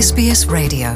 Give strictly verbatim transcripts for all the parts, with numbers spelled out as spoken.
Ес Би Ес Radio.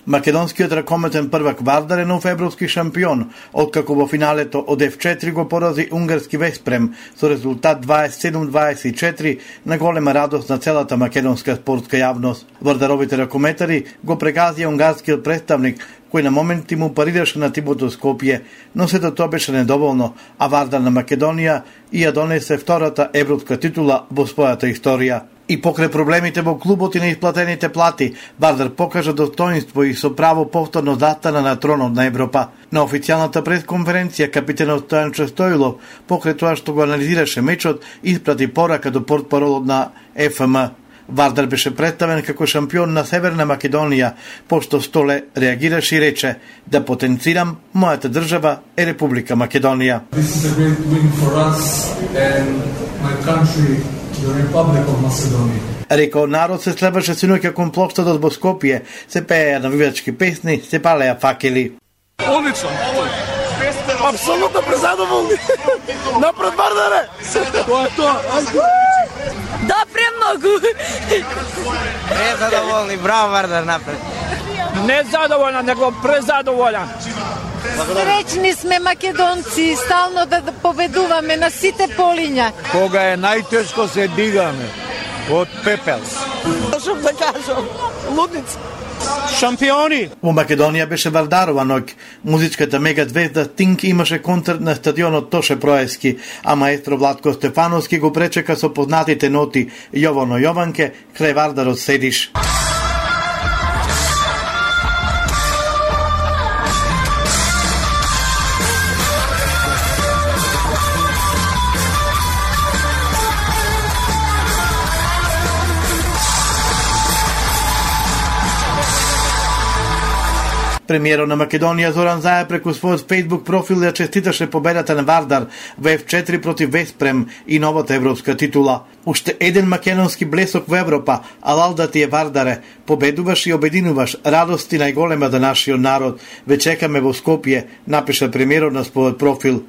Македонскиот ракометен првак Вардар е нов европски шампион, откако во финалето од Еф четири го порази унгарски Веспрем со резултат дваесет и седум дваесет и четири на голема радост на целата македонска спортска јавност. Вардаровите ракометари го прегазија унгарскиот представник, кој на моменти му парираше на тимото Скопје, но сето тоа беше недоволно, а Вардар на Македонија и ја донесе втората европска титула во својата историја. И покрај проблемите во клубот и неисплатените плати, Вардар покажа достоинство и со право повторно застана на тронот на Европа. На официјалната пресконференција капитенот Стојанчо Стојлов, покрај тоа што го анализираше мечот, испрати порака до портпаролот на Еф Ем. Вардар беше представен како шампион на Северна Македонија, пошто Столе реагираше и рече: да потенцирам, мојата држава е Република Македонија. This is a great win for us and my country, the Republic of Macedonia. Рекол народ се слебаше синоќа кон плоштадот во Скопје, се пееја навивачки песни, се палеја факели. Одлично. Апсолутно презадоволни. Напред Вардаре. Тоа е тоа. Да, премногу. Презадоволни, браво Вардар, напред. Не задоволен, него презадоволен. Сречни сме македонци, стално да победуваме на сите полиња. Кога е најтешко се дигаме од пепел. Што да кажам, лудници. Шампиони! Во Македонија беше Вардарова ноќ. Музичката мега звезда Стинг имаше концерт на стадионот Тоше Проески, а маестро Владко Стефановски го пречека со познатите ноти Јовано Јованке, крај Вардарот седиш. Премиерот на Македонија Зоран Заев преку својот Facebook профил ја честиташе победата на Вардар во Еф четири против Веспрем и новата европска титула. Уште еден македонски блесок во Европа, алал да ти е Вардаре, победуваш и обединуваш, радости најголема за нашиот народ. Ве чекаме во Скопје, напиша премиерот на својот профил.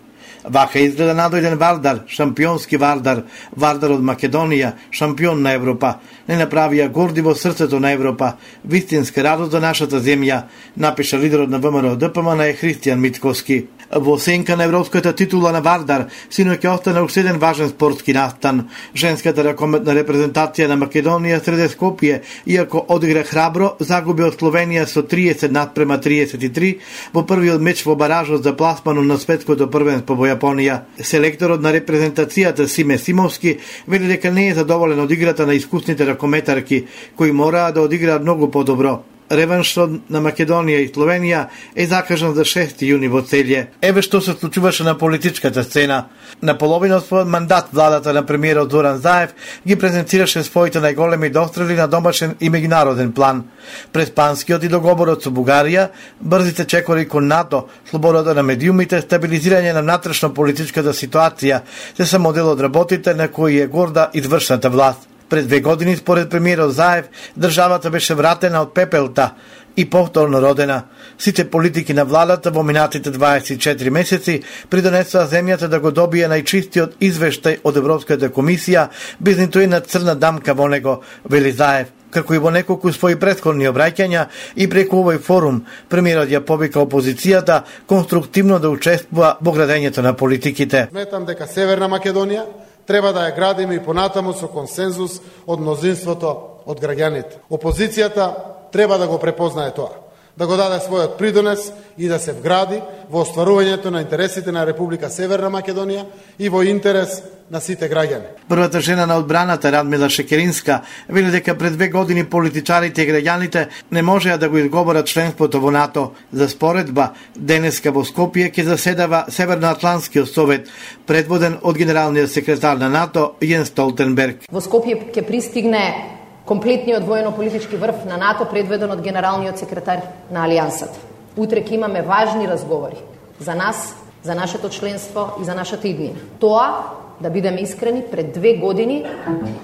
Вака изгледа надојден Вардар, шампионски Вардар, Вардар од Македонија, шампион на Европа. Не направија горди во срцето на Европа, вистинска радост за нашата земја, напиша лидерот на Вэ Ем Ер Д П М на е Христијан Митковски. Во сенка на европската титула на Вардар, синоќа остана уште еден важен спортски настан. Женската ракометна репрезентација на Македонија среде Скопје, иако одигра храбро, загуби од Словенија со триесет надпрема триесет и три во првиот меч во баражот за пласмано на светското првенство во Јапонија. Селекторот на репрезентацијата Симе Симовски вели дека не е задоволен од играта на искусните ракометарки, кои мораа да одиграат многу подобро. Реваншот на Македонија и Словенија е закажан за шести јуни во Целје. Еве што се случуваше на политичката сцена. На половина од својот мандат владата на премиерот Зоран Заев ги презентираше своите најголеми дострели на домашен и меѓународен план. През панскиот и договорот со Бугарија, брзите чекори кон НАТО, слободата на медиумите, стабилизирање на внатрешно политичката ситуација, се се модел од работите на кои е горда извршната власт. Пред две години, според премиерот Заев, државата беше вратена од пепелта и повторно родена. Сите политики на владата во минатите дваесет и четири месеци придонесоа земјата да го добие најчистиот извештај од Европската комисија, без ниту една црна дамка во него, вели Заев. Како и во неколку своји претходни обраќања и преку овој форум, премиерот ја повика опозицијата конструктивно да учествува во градењето на политиките. Сметам дека Северна Македонија треба да ја градиме и понатаму со консензус од мнозинството од граѓаните. Опозицијата треба да го препознае тоа, да го даде својот придонес и да се вгради во остварувањето на интересите на Република Северна Македонија и во интерес на сите граѓани. Првата жена на одбраната Радмила Шекеринска вели дека пред две години политичарите и граѓаните не можеа да го изговорат членството во НАТО. За споредба, денеска во Скопје ќе заседава Северноатлантскиот совет, предводен од генералниот секретар на НАТО Јенс Столтенберг. Во Скопје ќе пристигне комплетниот воено-политички врв на НАТО, предведен од генералниот секретар на Алијансата. Утре ќе имаме важни разговори за нас, за нашето членство и за нашата иднина. Тоа, да бидеме искрени, пред две години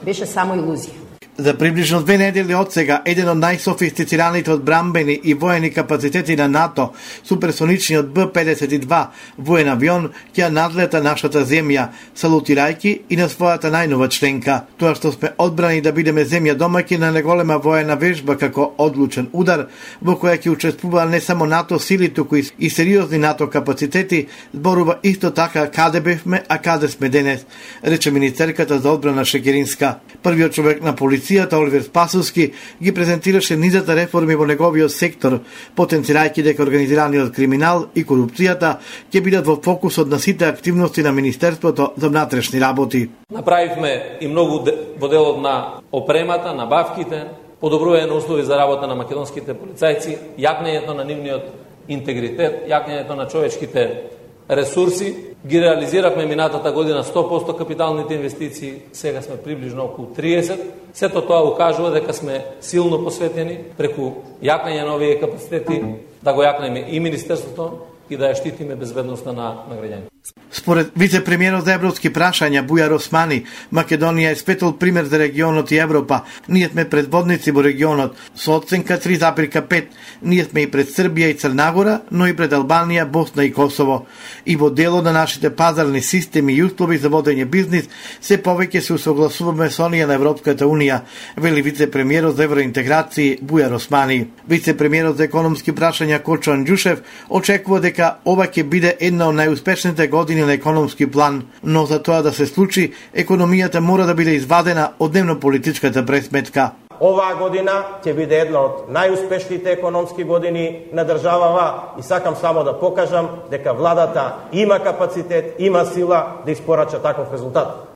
беше само илузија. За приближно две недели од сега, еден од најсофистицираните одбранбени и воени капацитети на НАТО, суперсоничниот Б педесет и два воен авион, ќе надлета нашата земја, салутирајќи и на својата најнова членка. Тоа што сме одбрани да бидеме земја домаќин на неголема воена вежба како одлучен удар, во која ќе учествува не само НАТО сили, туку и сериозни НАТО капацитети, зборува исто така каде бевме, а каде сме денес, рече министерката за одбрана Шекеринска. Првиот човек на полиција Оливер Спасовски ги презентираше низата реформи во неговиот сектор, потенцирајќи дека организираниот криминал и корупцијата ќе бидат во фокусот на сите активности на Министерството за внатрешни работи. Направивме и многу во делот на опремата, на бавките, подобрување на услови за работа на македонските полицајци, јакнењето на нивниот интегритет, јакнењето на човечките ресурси. Ги реализиравме минатата година сто проценти капиталните инвестиции, сега сме приближно околу триесет. Сето тоа укажува дека сме силно посветени преку јакнење на овие капацитети да го јакнеме и Министерството и да ја штитиме безбедноста на, на граѓаните. Според вице-премиерот за европски прашања Бујар Османи, Македонија е светол пример за регионот и Европа. Ние сме предводници во регионот со оценка три запирка пет. Ние сме и пред Србија и Црнагора, но и пред Албанија, Босна и Косово. И во дело на нашите пазарни системи и услови за водење бизнис, се повеќе се усогласуваме со оние на Европската унија, вели вице-премиерот за евроинтеграција Бујар Османи. Вице-премиерот за економски прашања Кочо Анџушев очекува дека ова ќе биде една од најуспешните години на економски план, но за тоа да се случи, економијата мора да биде извадена од дневно-политичката пресметка. Оваа година ќе биде една од најуспешните економски години на државава и сакам само да покажам дека владата има капацитет, има сила да испорача таков резултат.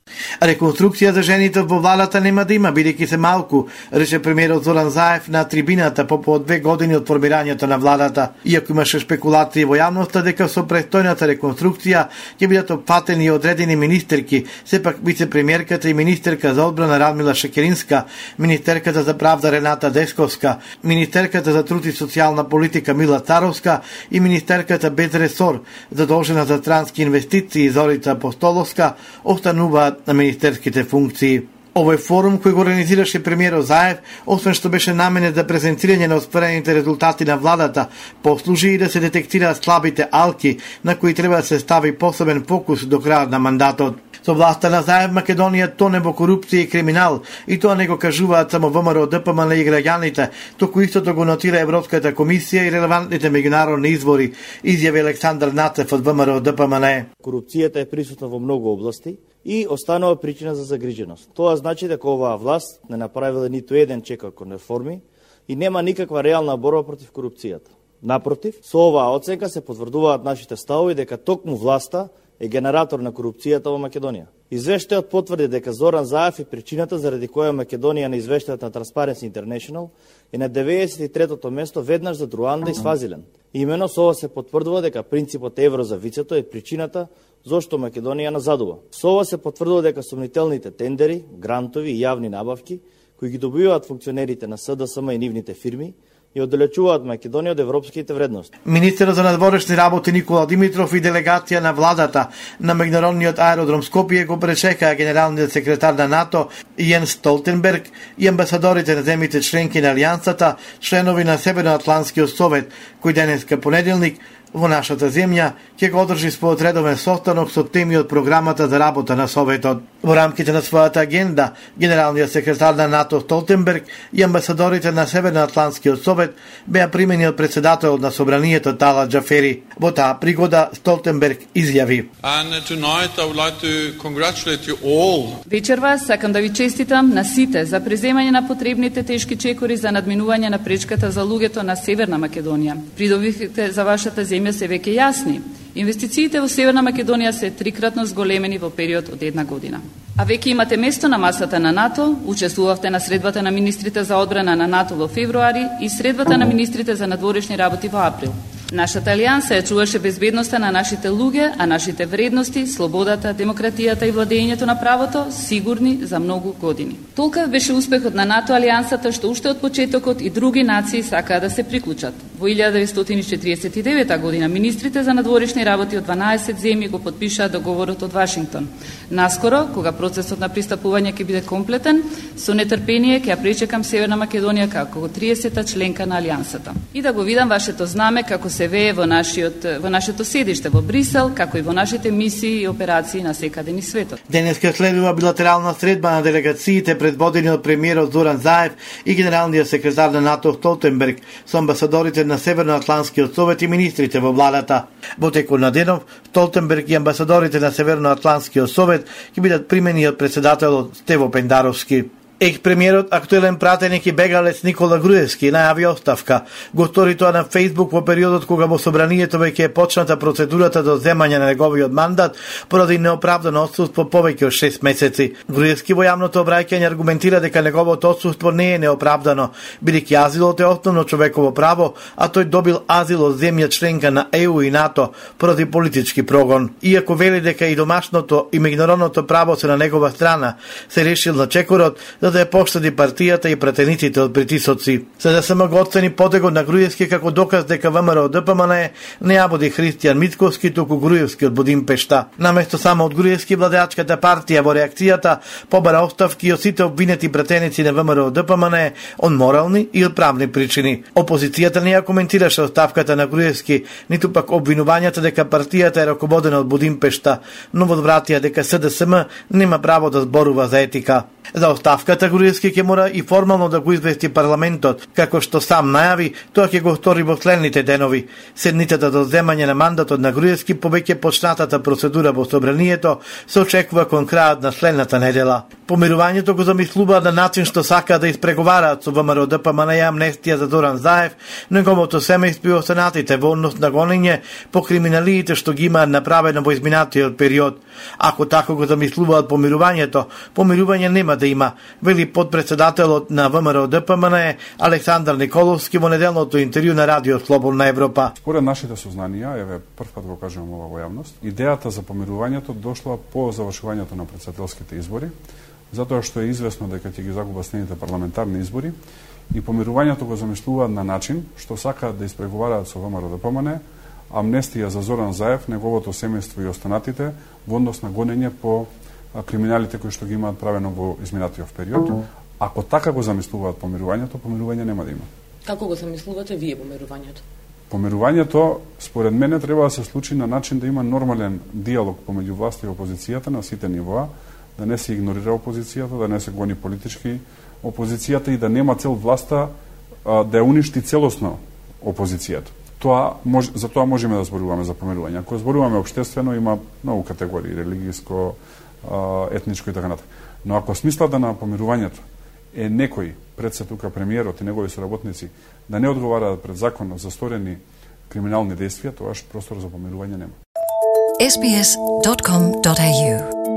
Реконструкција за жените во владата нема да има, бидејќи се малку, рече премиерот Зоран Заев на трибината по по две години од формирањето на владата. Иако имаше спекулации во јавноста дека со престојната реконструкција ќе бидат опфатени и одредени министерки, сепак вице-премиерката и министерка за одбрана Радмила Шекеринска, министерката за правда Рената Десковска, министерката за труд и социјална политика Мила Царовска и министерката без ресор, задолжена за трански инвестиции Зорица Апостоловска, остануваат на министерските функции. Овој форум кој го организираше премиерот Заев, освен што беше наменет за презентирање на остварените резултати на владата, послужи и да се детектираат слабите алки на кои треба да се стави посебен фокус до крајот на мандатот. Со власта на Заев Македонија тоне во корупција и криминал, и тоа не го кажуваат само ВМРО, ДПМН и граѓаните, току истото го нотира Европската комисија и релевантните меѓународни извори, изјави Александар Нацев од ВМРО ДПМН. Корупцијата е присутна во многу области и останува причина за загриженост. Тоа значи дека оваа власт не направила ниту еден чекор кон реформи и нема никаква реална борба против корупцијата. Напротив, со оваа оценка се потврдуваат нашите ставови дека токму власта е генератор на корупцијата во Македонија. Извештајот потврди дека Зоран Заев е причината заради која Македонија на извештајот на Transparency International е на деветдесет и третото место веднаш за Руанда и Свазилен. Имено со ова се потврдува дека принципот евро за вицето е причината зошто Македонија назадува. Со ова се потврдува дека сомнителните тендери, грантови и јавни набавки кои ги добиваат функционерите на СДСМ и нивните фирми и оддалечуваат Македонија од европските вредности. Министерот за надворешни работи Никола Димитров и делегација на владата на меѓународниот аеродром Скопје го пречекаа генералниот секретар на НАТО Јенс Столтенберг и амбасадорите на земјите членки на Алијансата, членови на Северноатлантскиот совет, кој денеска понеделник во нашата земја ќе го одржи својот редовен состанок со теми од програмата за работа на Советот. Во рамките на својата агенда, генералниот секретар на НАТО Столтенберг и амбасадорите на Северноатлантскиот совет беа примени од председателот на собранието Талат Џафери. Во таа пригода Столтенберг изјави: Вечерва сакам да ви честитам на сите за преземање на потребните тешки чекори за надминување на пречката за луѓето на Северна Македонија. Придобивките за вашата земја се веќе јасни. Инвестициите во Северна Македонија се трикратно зголемени во период од една година. А веќе имате место на масата на НАТО, учествувавте на средбата на министрите за одбрана на НАТО во февруари и средбата на министрите за надворешни работи во април. Нашата алијанса ја чуваше безбедноста на нашите луѓе, а нашите вредности, слободата, демократијата и владењето на правото сигурни за многу години. Толкав беше успехот на НАТО алијансата што уште од почетокот и други нации сакаа да се приклучат. Во Во илјада деветстотини и четиридесет и девета година министрите за надворешни работи од дванаесет земји го потпишаа договорот од Вашингтон. Наскоро, кога процесот на пристапување ќе биде комплетен, со нетрпение ќе ја пречекам Северна Македонија како триесета членка на Алијансата. И да го видам вашето знаме како се вее во нашиот во нашето седиште во Брисел, како и во нашите мисии и операции на секаде низ светот. Денеска следува билатерална средба на делегациите предводени од премиерот Зоран Заев и генералниот секретар на НАТО Столтенберг со амбасадорите на Северноатлантскиот совет и министрите во владата. Во текот на денов, Столтенберг и амбасадорите на Северноатлантскиот совет ќе бидат примени од претседателот Стево Пендаровски. Екс-премиерот, актуелен пратеник и бегалец Никола Груевски најави оставка. Го стори тоа на Фејсбук во периодот кога во собранието веќе е почната процедурата до земање на неговиот мандат поради неоправдано отсуство повеќе од шест месеци. Груевски во јавното обраќање аргументира дека неговото отсуство не е неоправдано, бидејќи азилот е основно човеково право, а тој добил азил од земја членка на Е У и НАТО поради политички прогон. Иако вели дека и домашното и меѓународното право се на негова страна, се решил на чекорот за да ја поштади партијата и пратениците од притисоци. За да се го оцени потегот на Груевски како доказ дека ВМРО Д П М Н не ја води Христијан Мицковски, туку Груевски од Будимпешта. Наместо само од Груевски, владеачката партија во реакцијата побара оставки од сите обвинети пратеници на ВМРО Д П М Н од морални и од правни причини. Опозицијата не ја коментираше оставката на Груевски, ниту пак обвинувањата дека партијата е раководена од Будимпешта, но возвратија дека С Д С М нема право да зборува за етика. За оставката Груевски ќе мора и формално да го извести парламентот, како што сам најави, тоа ќе го стори во следните денови. Седницата до земање на мандатот на Груевски по веќе почнатата процедура во собранието се очекува кон крајот на следната недела. Помирувањето го замислува на начин што сака да испреговараат со ВМРО Д П М Н и амнестија за Зоран Заев, неговото семејство и останатите во однос на гонење по криминалиите што ги имаат направено во изминатиот период. Ако тако го замислуваат помирувањето, помирување нема да има, вели подпредседателот на ВМРО Д П М Н Александар Николовски во неделното интервју на Радио Слободна Европа. Според нашите сознанија, еве првпат го кажувам ова во јавност, идејата за помирувањето дошла по завршувањето на претседателските избори, затоа што е известно дека ќе ги загубат следните парламентарни избори и помирувањето го замислуваат на начин што сакаат да испреговараат со ВМРО Д П М Н амнестија за Зоран Заев, неговото семејство и останатите во однос на гонење по криминалите кои што ги имаат правено во изминатиот период. Ако така го замислуваат помирувањето, помирување нема да има. Како го замислувате вие помирувањето? Помирувањето, според мене, треба да се случи на начин да има нормален диалог помеѓу власта и опозицијата на сите нивоа, да не се игнорира опозицијата, да не се гони политички опозицијата и да нема цел власта а, да ја уништи целосно опозицијата. Тоа мож, за тоа можеме да зборуваме за помирување. Ако зборуваме општествено, има многу категории, религијско, етничко и така натаму. Но ако смислата на помирувањето е некој, пред се тука премиерот и негови соработници, да не одговараат пред законот за сторени криминални действија, тоа простор за помирување нема. ес би ес точка ком точка ей ю